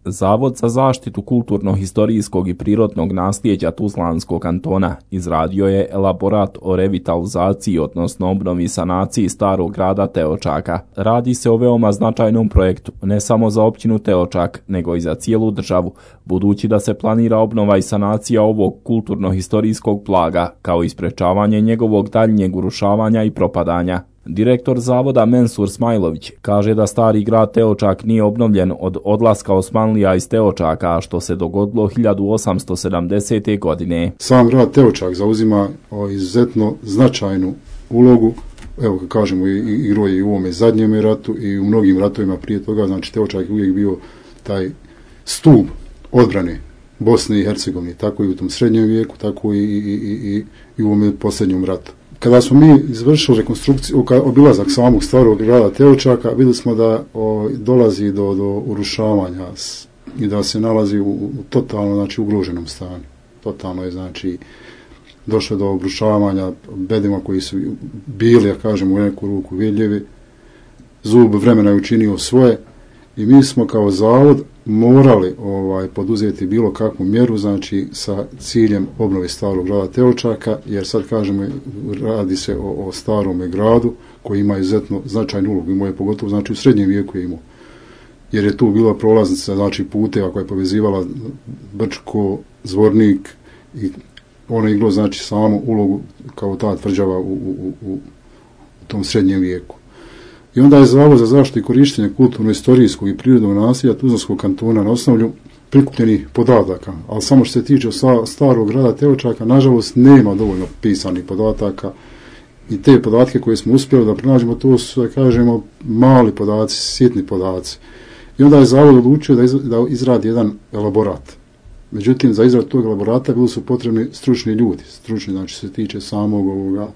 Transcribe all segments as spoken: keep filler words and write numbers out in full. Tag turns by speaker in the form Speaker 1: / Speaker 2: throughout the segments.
Speaker 1: Zavod za zaštitu kulturno-historijskog i prirodnog nasljeđa Tuzlanskog kantona izradio je elaborat o revitalizaciji, odnosno obnovi i sanaciji starog grada Teočaka. Radi se o veoma značajnom projektu, ne samo za općinu Teočak, nego i za cijelu državu, budući da se planira obnova i sanacija ovog kulturno-historijskog blaga, kao i sprečavanje njegovog daljnjeg urušavanja i propadanja. Direktor zavoda Mensur Smajlović kaže da stari grad Teočak nije obnovljen od odlaska Osmanlija iz Teočaka, što se dogodilo hiljadu osamsto sedamdesete. godine.
Speaker 2: Sam grad Teočak zauzima izuzetno značajnu ulogu, evo kad kažemo i igrao je i u ovome zadnjem ratu i u mnogim ratovima prije toga, znači Teočak je uvijek bio taj stup odbrane Bosne i Hercegovine, tako i u tom srednjem vijeku, tako i, i, i, i, i u ovome posljednjem ratu. Kada smo mi izvršili rekonstrukciju, obilazak samog starog grada Teočaka, vidjeli smo da o, dolazi do, do urušavanja i da se nalazi u, u totalno, znači, ugroženom stanju. Totalno je, znači, došlo do obrušavanja bedima koji su bili, ja kažem, u neku ruku vidljivi. Zub vremena je učinio svoje i mi smo kao zavod morali ovaj poduzeti bilo kakvu mjeru, znači sa ciljem obnove starog grada Teočaka, jer sad kažemo radi se o, o starome gradu koji ima izuzetno značajnu ulogu, imao je pogotovo znači u srednjem vijeku je imao, jer je tu bila prolaznica znači puteva koja je povezivala Brčko, Zvornik i ono je iglo znači samu ulogu kao ta tvrđava u, u, u, u tom srednjem vijeku. I onda je Zavod za zaštitu i korištenje kulturno-historijskog i prirodnog nasljeđa Tuzlanskog kantona na osnovu prikupljenih podataka, ali samo što se tiče starog grada Teočaka, nažalost nema dovoljno pisanih podataka i te podatke koje smo uspjeli da pronađemo, to su, da kažemo, mali podaci, sitni podaci. I onda je Zavod odlučio da, iz, da izradi jedan elaborat. Međutim, za izradu tog elaborata bili su potrebni stručni ljudi, stručni, znači se tiče samog ovoga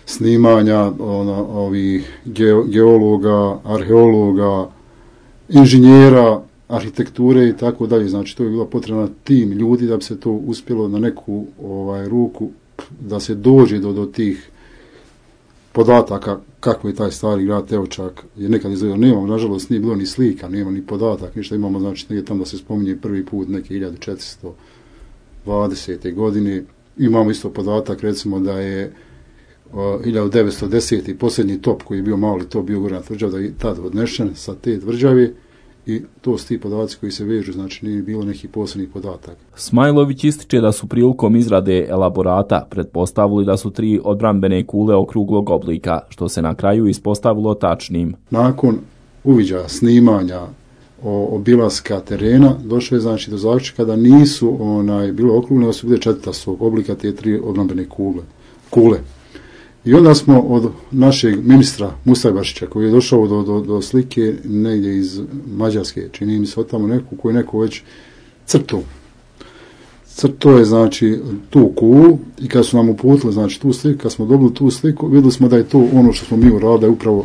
Speaker 2: snimanja ona, ovih ge, geologa, arheologa, inženjera, arhitekture i tako dalje. Znači, to je bila potrebna tim ljudi da bi se to uspjelo na neku ovaj, ruku, da se dođe do, do tih podataka kako je taj stari grad Teočak. Jer nekad izgledao, nemamo, nažalost, nije bilo ni slika, nema ni podatak, ništa imamo, znači, negdje tamo da se spominje prvi put neke hiljadu četiristo dvadesete. godine. Imamo isto podatak, recimo, da je hiljadu devetsto desete. posljednji top koji je bio mali top bio gornja tvrđava da je tada odnešen sa te tvrđave i to su ti podaci koji se vežu, znači nije bilo nekih posebnih podataka.
Speaker 1: Smajlović ističe da su prilikom izrade elaborata pretpostavili da su tri odbrambene kule okruglog oblika, što se na kraju ispostavilo tačnim.
Speaker 2: Nakon uviđaja, snimanja, o, obilaska terena, došlo je znači do zaključka da nisu onaj bilo okrugle, da su bile četvrtastog oblika te tri odbrambene kule. kule. I onda smo od našeg ministra Mustajbašića, koji je došao do, do, do slike negdje iz Mađarske, čini mi se od tamo neku, koji neko već crto. Crto je znači tu kulu i kad su nam uputili znači tu sliku, kad smo dobili tu sliku, vidjeli smo da je to ono što smo mi uradili, upravo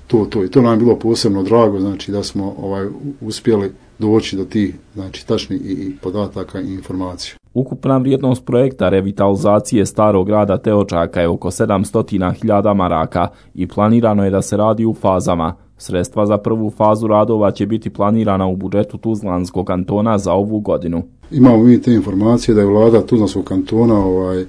Speaker 2: to, to. I to nam je bilo posebno drago, znači da smo ovaj uspjeli doći do tih znači tačnih i, i podataka i informacija.
Speaker 1: Ukupna vrijednost projekta revitalizacije starog grada Teočaka je oko sedamsto hiljada maraka i planirano je da se radi u fazama. Sredstva za prvu fazu radova će biti planirana u budžetu Tuzlanskog kantona za ovu godinu.
Speaker 2: Imamo mi te informacije da je vlada Tuzlanskog kantona ovaj,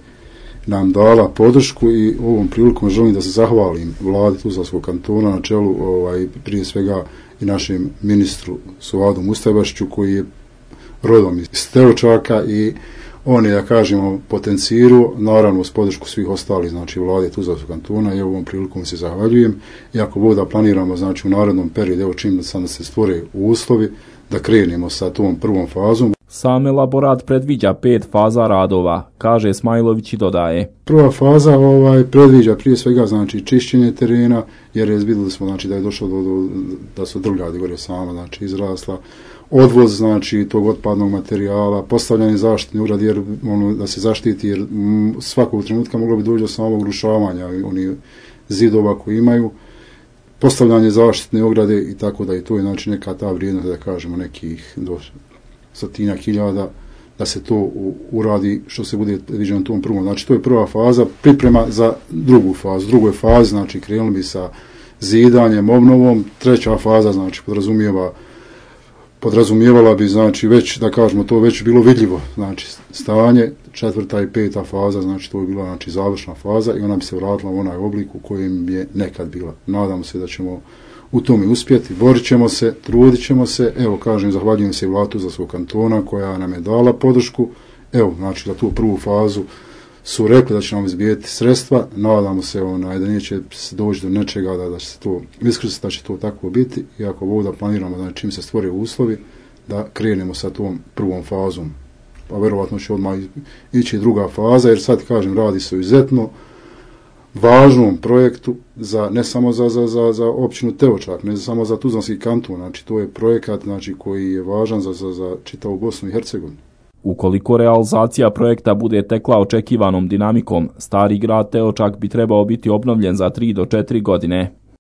Speaker 2: nam dala podršku i ovom prilikom želim da se zahvalim vladi Tuzlanskog kantona na čelu ovaj, prije svega i našem ministru Suvadu Mustajbašiću koji je rodom iz Teočaka i on je, da kažemo, potencirao, naravno uz podršku svih ostalih, znači vlade Tuzlanskog kantona i ovom prilikom se zahvaljujem. Iako bude da planiramo, znači u narednom periodu, evo čim da sam se stvore uslovi, da krenemo sa tom prvom fazom.
Speaker 1: Sam elaborat predviđa pet faza radova, kaže Smajlović i dodaje.
Speaker 2: Prva faza ovaj, predviđa prije svega znači čišćenje terena, jer je vidjeli smo znači, da je došlo do, do da su drvljadi gore sama znači, izrasla, odvoz znači tog otpadnog materijala, postavljanje zaštitne ograde jer ono da se zaštiti jer m, svakog trenutka moglo bi doći do samog urušavanja onih zidova koji imaju, postavljanje zaštitne ograde i tako da i to je znači neka ta vrijednost da kažemo nekih do stotinjak hiljada da se to u, uradi što se bude viđeno tom prvom. Znači to je prva faza, priprema za drugu fazu. Drugoj fazi znači krenuli bi sa zidanjem, obnovom, treća faza znači podrazumijeva podrazumijevala bi, znači, već, da kažemo, to već bilo vidljivo, znači, stanje, četvrta i peta faza, znači, to je bila, znači, završna faza i ona bi se vratila u onaj oblik u kojem je nekad bila. Nadamo se da ćemo u tome uspjeti, borit ćemo se, trudit ćemo se, evo, kažem, zahvaljujem se i Vladu za svog kantona koja nam je dala podršku, evo, znači, za tu prvu fazu su rekli da će nam izbijeti sredstva, nadamo se onaj, da neće doći do nečega, da, da će se to iskrstiti, da će to tako biti, i ako Bog da planiramo da čim se stvore uslovi, da krenemo sa tom prvom fazom. Pa verovatno će odmah ići druga faza, jer sad, kažem, radi se o izuzetno važnom projektu, za, ne samo za, za, za, za općinu Teočak, ne samo za Tuzlanski kanton, znači to je projekat, znači, koji je važan za, za, za čitavu Bosnu i Hercegovinu.
Speaker 1: Ukoliko realizacija projekta bude tekla očekivanom dinamikom, stari grad Teočak bi trebao biti obnovljen za tri do četiri godine.